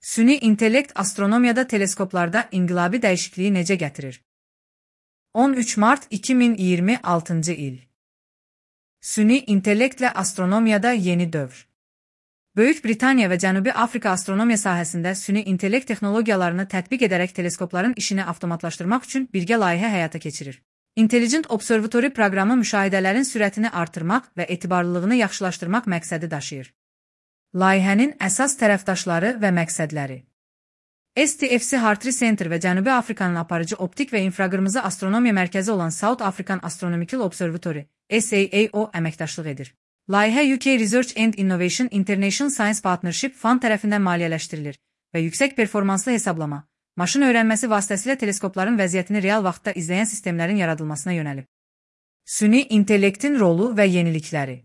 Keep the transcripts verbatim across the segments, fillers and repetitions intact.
Süni intellekt astronomiyada teleskoplarda inqilabi dəyişikliyi necə gətirir? on üç mart iki min iyirmi altıncı il. Süni intellektlə astronomiyada yeni dövr. Böyük Britaniya və Cənubi Afrika astronomiya sahəsində süni intellekt texnologiyalarını tətbiq edərək teleskopların işini avtomatlaşdırmaq üçün birgə layihə həyata keçirir. Intelligent Observatory proqramı müşahidələrin sürətini artırmaq və etibarlılığını yaxşılaşdırmaq məqsədi daşıyır. Layihənin əsas tərəfdaşları və məqsədləri S T F C Hartree Center və Cənubi Afrikanın aparıcı optik və infraqırmızı astronomiya mərkəzi olan South African Astronomical Observatory S A A O əməkdaşlıq edir. Layihə U K Research and Innovation International Science Partnership Fund tərəfindən maliyyələşdirilir və yüksək performanslı hesablama, maşın öyrənməsi vasitəsilə teleskopların vəziyyətini real vaxtda izləyən sistemlərin yaradılmasına yönəlib. Süni intellektin rolu və yenilikləri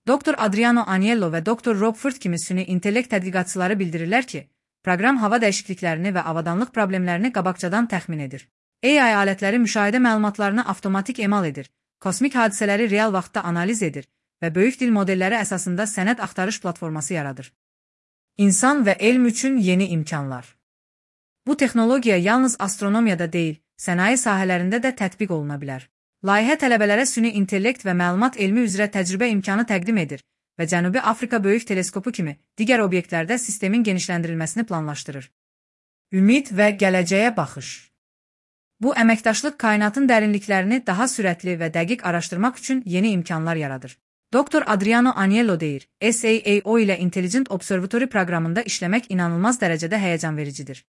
doktor Adriano Agnello və doktor Rob Ford kimi süni intellekt tədqiqatçıları bildirirlər ki, proqram hava dəyişikliklərini və avadanlıq problemlərini qabaqcadan təxmin edir. A I alətləri müşahidə məlumatlarını avtomatik emal edir, kosmik hadisələri real vaxtda analiz edir və böyük dil modelləri əsasında sənəd axtarış platforması yaradır. İnsan və elm üçün yeni imkanlar. Bu texnologiya yalnız astronomiyada deyil, sənaye sahələrində də tətbiq oluna bilər. Layihə tələbələrə süni intellekt və məlumat elmi üzrə təcrübə imkanı təqdim edir və Cənubi Afrika Böyük Teleskopu kimi digər obyektlərdə sistemin genişləndirilməsini planlaşdırır. Ümid və gələcəyə baxış. Bu əməkdaşlıq kainatın dərinliklərini daha sürətli və dəqiq araşdırmaq üçün yeni imkanlar yaradır. doktor Adriano Agnello deyir, S A A O ilə Intelligent Observatory proqramında işləmək inanılmaz dərəcədə həyəcan vericidir.